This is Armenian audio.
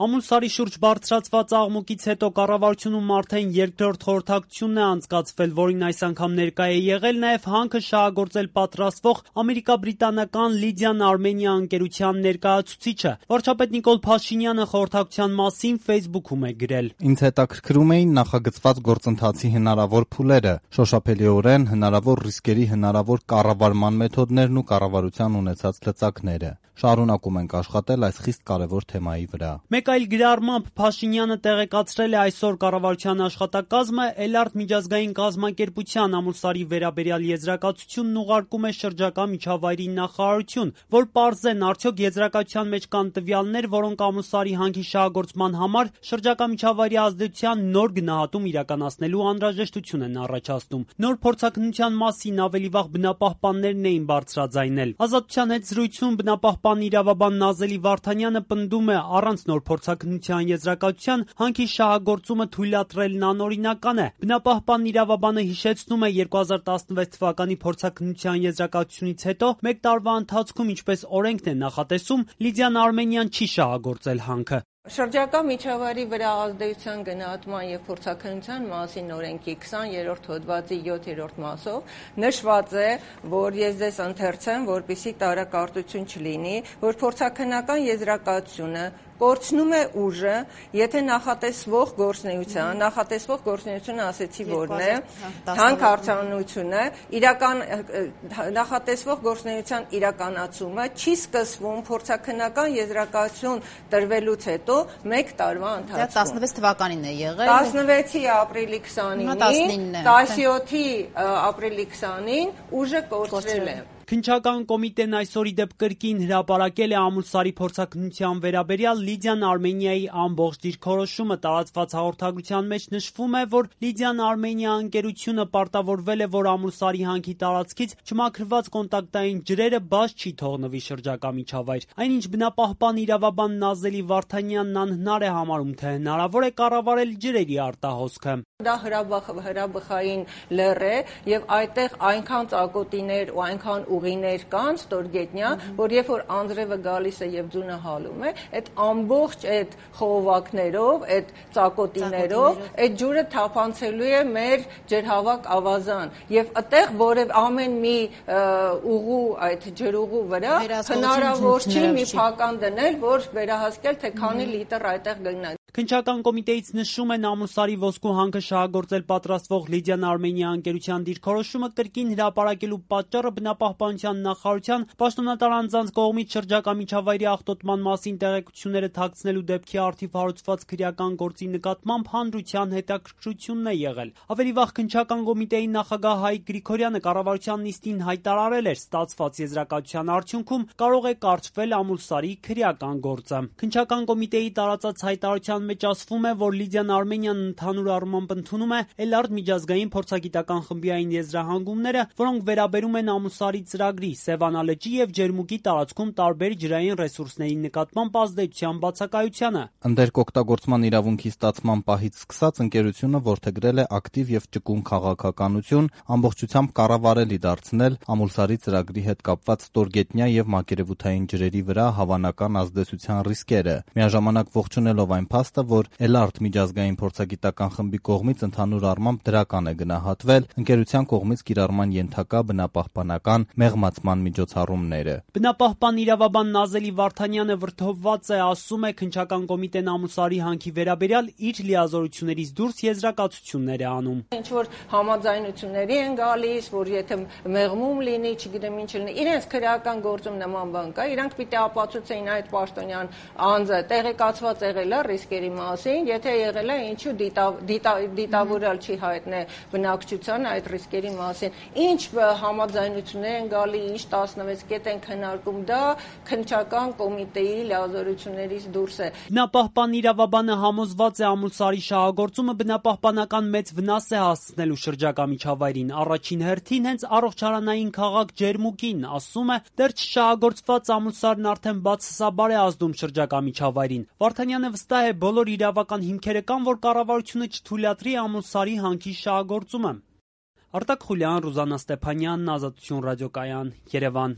Ամուլսարի շուրջ բարձրացված աղմուկից հետո կառավարությունում արդեն երկրորդ խորհրդակցությունն է անցկացվել, որին այս անգամ ներկա է եղել նաև հանքը շահագործել պատրաստվող ամերիկա-բրիտանական Լիդիան Արմենիա ընկերության ներկայացուցիչը։ Վարչապետ Նիկոլ Փաշինյանը խորհրդակցության մասին Facebook-ում է գրել. Ինձ հետաքրքրում էին նախագծված գործընթացի հնարավոր փուլերը, շոշափելիորեն հնարավոր ռիսկերի հնարավոր կառավարման մեթոդներն ու կառավարության ունեցած լծակները։ Շարունակում ենք աշխատել այս խիստ կարևոր թեմայի վրա։ Մեկ այլ գրառմամբ Փաշինյանը տեղեկացրել է այսօր կառավարության աշխատակազմը Էլարտ միջազգային կազմակերպության Ամուլսարի վերաբերյալ եզրակացությունն ուղարկում է շրջակա միջավայրի նախարարություն, որ պարզեն արդյոք եզրակացության մեջ կան տվյալներ, որոնք Ամուլսարի հանքի շահագործման համար շրջակա միջավայրի ազդեցության նոր գնահատում իրականացնելու անհրաժեշտություն են առաջացնում։ Նոր փորձաքննության մասին ավելի վաղ բնապահպաններն էին բարձրաձայնել։ Ազատության հետ զրույցում բնապահպան իրավաբան Նազելի Վարդանյանը պնդում է, առանց նոր փորձաքննության եզրակացության հանքի շահագործումը թույլատրելն անօրինական է։ Բնապահպան իրավաբանը հիշեցնում է 2016 թվականի փորձաքննության եզրակացությունից հետո մեկ տարվա ընթացքում, ինչպես օրենքն է նախատեսում, Լիդիան Արմենիան չի շահագործել հանքը։ Շրջակա միջավայրի վրա ազդեցության գնահատման և փորձաքննության մասին օրենքի 20-րդ հոդվածի 7-րդ մասով նշված է, որ ես ձեզ ընթերցեմ, որպեսզի տարակարծություն չլինի, որ փորձաքննական եզրակացությունը կորցնում է ուժը, եթե նախատեսվող գործունեությունը ասեցի որն է, հանքարդյունությունը, նախատեսվող գործունեության իրականացումը չի սկսվում փորձաքննական եզրակացություն տրվելուց հետո մեկ տարվա ընթացքում։ 16 թվականին է եղել։ 16-ի ապրիլի 29-ին, 17-ի ապրիլի 20-ին ուժը կորցրել է։ Քննչական կոմիտեն այսօր ի դեպ կրկին հրապարակել է Ամուլսարի փորձաքննության վերաբերյալ Լիդիան Արմենիայի ամբողջ դիրքորոշումը։ Տարածված հաղորդագրության մեջ նշվում է, որ Լիդիան Արմենիա ընկերությունը պարտավորվել է, որ Ամուլսարի հանքի տարածքից չմաքրված կոնտակտային ջրերը բաց չի թողնվի շրջակա միջավայր։ Այնինչ բնապահպան իրավաբան Նազելի Վարդանյանն անհնար է համարում, թե հնարավոր է կառավարել ջրերի արտահոսքը։ Դա հրաբխային լեռ է եւ այդտեղ այնքան ծակոտիներ ու այնքան ուղիներ կան ստորգետնյա, որ երբ որ անձրևը գալիս է եւ ձյունը հալում է, այդ ամբողջ այդ խողովակներով, այդ ծակոտիներով այդ ջուրը թափանցելու է մեր ջրհավաք ավազան եւ այդտեղ որև ամեն մի ուղու այդ ջրուղու վրա հնարավոր չի մի փական դնել, որ վերահասկել թե քանի լիտր այդտեղ գնա։ Քննչական կոմիտեից նշում են Ամուլսարի ոսկու հանքը շահագործել պատրաստվող Լիդիան Արմենիա ընկերության դիրքորոշումը կրկին հրապարակելու պատճառը բնապահպանության նախարարության պաշտոնատար անձանց կողմից շրջակա միջավայրի աղտոտման մասին տեղեկությունները թաքցնելու դեպքի առթիվ հարուցված քրեական գործի նկատմամբ հանրության հետաքրքրությունն է եղել։ Ավելի վաղ քննչական կոմիտեի նախագահ Հայկ Գրիգորյանը կառավարության նիստին հայտարարել էր, ստացված եզրակացության արդյունքում կարող է կարճվել Ամուլսարի քրեական գործը։ Քննչական կոմիտեի տարածած հայտարարության մեջ ասվում է, որ Լիդիան Արմենիան ընդհանուր առմամբ ընդունում է Էլարտ միջազգային փորձագիտական խմբի այն եզրահանգումները, որոնք վերաբերում են Ամուլսարի ծրագրի, Սևանա լճի եւ Ջերմուկի տարածքում տարբեր ջրային ռեսուրսների նկատմամբ ազդեցության բացակայությանը։ Ընդերկօգտագործման իրավունքի ստացման պահից սկսած ընկերությունը որդեգրել է ակտիվ եւ ճկուն քաղաքականություն, ամբողջությամբ կառավարելի դարձնել Ամուլսարի ծրագրի հետ կապված ստորգետնյա եւ մակերևութային ջրերի վրա հավանական ազդեցության ռիսկերը, միաժամանակ ողջունելով այն փաստը, որ Էլարտ միջազգային փորձագիտական խմբի կողմից ընդհանուր առմամբ դրական է գնահատվել ընկերության կողմից կիրառման ենթակա բնապահպանական մեղմացման միջոցառումները։ Բնապահպան իրավաբան Նազելի Վարդանյանը վրդովված է, ասում է, քննչական կոմիտեն Ամուլսարի հանքի վերաբերյալ իր լիազորություններից դուրս եզրակացություններ է անում։ Ինչ որ համաձայնությունների են գալիս, որ եթե մեղմում լինի, չգիտեմ ինչ լինի, իրենց քրեական գործում նման բան կա, իրանք պիտի ապացուցեին այդ պաշտոնյան անձը տեղեկացված եղել է ռիսկերի մասին, եթե եղել է ինչու դիտավորալ չի հայտնել բնակչությանը այդ ռիսկերի մասին։ Ինչ համաձայնություններ են գալի, ինչ 16 կետ են քննարկում, դա քննչական կոմիտեի լիազորություններից դուրս է։ Բնապահպան իրավաբանը համոզված է Ամուլսարի շահագործումը բնապահպանական մեծ վնաս է հասցնելու շրջակա միջավայրին, առաջին հերթին հենց առողջարանային քաղաք Ջերմուկին, ասում է, դեռ չշահագործված Ամուլսարն արդեն բացասաբար է ազդում շրջակա միջավայրին։ Վարդանյանը վստահ է, բոլոր իրավական հիմքերը կան, որ կառավարությունը չթույլատրի Ամուլսարի հանքի շահագործումը։ Արտակ Խուլյան, Ռուզաննա Ստեփանյան, Ազատություն ռադիոկայան, Երևան։